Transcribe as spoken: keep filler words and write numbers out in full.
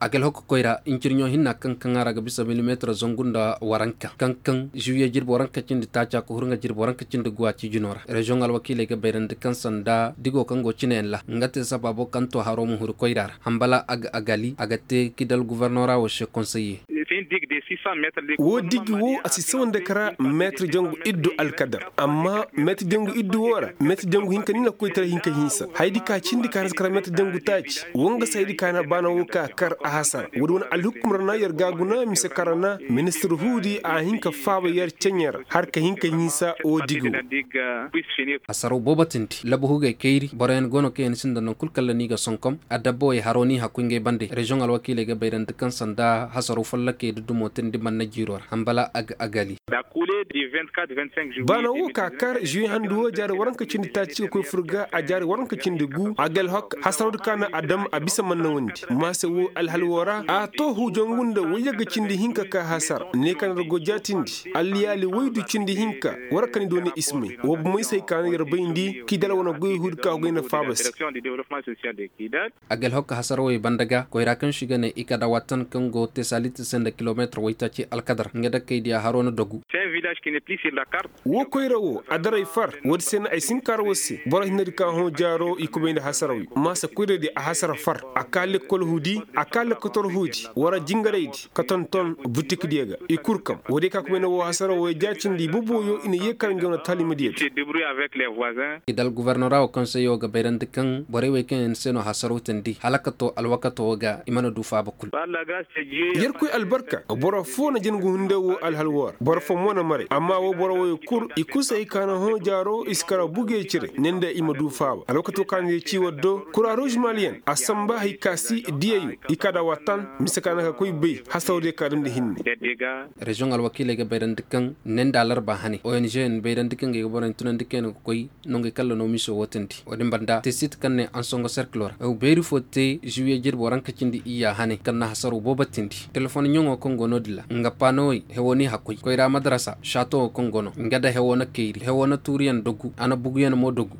A ga alhok koyra ncirɲo hinna kaŋ kaŋ a ra ga bisa milimeetir zangu nda waranka kaŋ kaŋ ziwiye jirbi waranka cindi taaca ka huru nga jirbi waranka cindi guwa ciijino ra. Reziyoŋ alwakiiley ga bayrandi kaŋ sanda digo kaŋ go cineyaŋ ra nga te sabaabo kaŋ to haro ma huru koyra ra hambala a ga agali a ga te kidal gufornora wo se konseye. Woo digi woo a si sawa nda kara meetir jangu iddu alkadar amma meetir jangu iddu woo ra meetir jangu hinka ni na koy tara hinka hinsa hayadi ka cindi ka na si kara meetir jangu taaci. Woo nga se hayadi ka na baana woo ka kar a hasara woodi wane alhukkum ra na yer ga a guna mise kara na ministir huudi a hin ka faaba yer ceɲe ra har ka hin ka hinsa woo digi woo. Hasaroo boobo tindi labu hugey kayri boroyaŋ go no kaŋ yaŋ sinda naŋ kul kalla ni ga sonkom. Adabbawey haroo ni hakkuy ngey bande reziyoŋ alwakiiley ga bayrandi kaŋ sanda hasaroo follokey dudumo tindi manna jiiroo ra hambala a ga agali. Baana woo ka kar žuwe handu woo jaari waranka cindi taaci ga koy fur ga a jaari waranka cindi gu a ga alhok hasaroo di ka na a dam a bisa manna wondi maase woo alhal woo ra a too huujongu nda woy yagga cindi hinka ka hasara ne ka na ra go jaatindi alliyaali woy du cindi hinka. War ka ni dooni ismay woo bomey se hay ka na yer bayndi kidal wane goy huudi ka goy nda faaba se. A ga alhok hasarawey banda ga koyra kaŋ se i ga ne i kada watan kaŋ go tesalit se nda kilomeetir waytaaci alkadar nga dakkey diya haroo na dogu. Woo koyra woo adaray far woodi se no ay si hin ka har war se boro hinnadi ka hõ jaaroo i kubay nda hasarawey maasa koyradi a hasara far a ka lekkol huudi a ka lekkotor huudi wara jingaraydi ka tonton butikdiyo ga i kul kam woodiyo ka kubay nda woo hasarawey jaacindi i boboyo i na yee kar nga wane taalimadiyo di. Kidal gufornora woo konseyo ga bayrandi kaŋ borey wey kaŋ yaŋ se no hasaraw tindi hala ka to alwakato woo ga i mana du faaba kul. Yerkoy albarka boro foo na jin ga hunday woo alhal woo ra boro foo mo na maray amma woo boro wooyo kul i kul se hay ka na hõ jaaro i si kara bugey cire ne nda i ma du faaba alwakato ka na yer ci war do kuraruuz maliyen a samba hay ka si diyayo i ka da watan mise ka na ka koy bay hasawdiyo ka damndi hinne. Reziyoŋ alwakiiley ga bayrandi kaŋ ne nda alarba hane ong yaŋ bayrandi kaŋ ga ay ga boroyaŋ tunandi kaŋ yaŋ ga koy nongey kalla no miso woo tindi woodin banda te sit kaŋ ne ansongo serkilo ra hew beeri foo te žiwiye jirbi waranka cindi iyya hane kaŋ na hasaro boobo tindi telefon ɲaŋo kaŋ go no-din ra nga paanowey hewoo n'i hakkoy koyra madarasa šaatoŋo kaŋ go no nga nda hewoo na kayri hewoo na tuuriyaŋ dogu a na buguyaŋ mo dogu.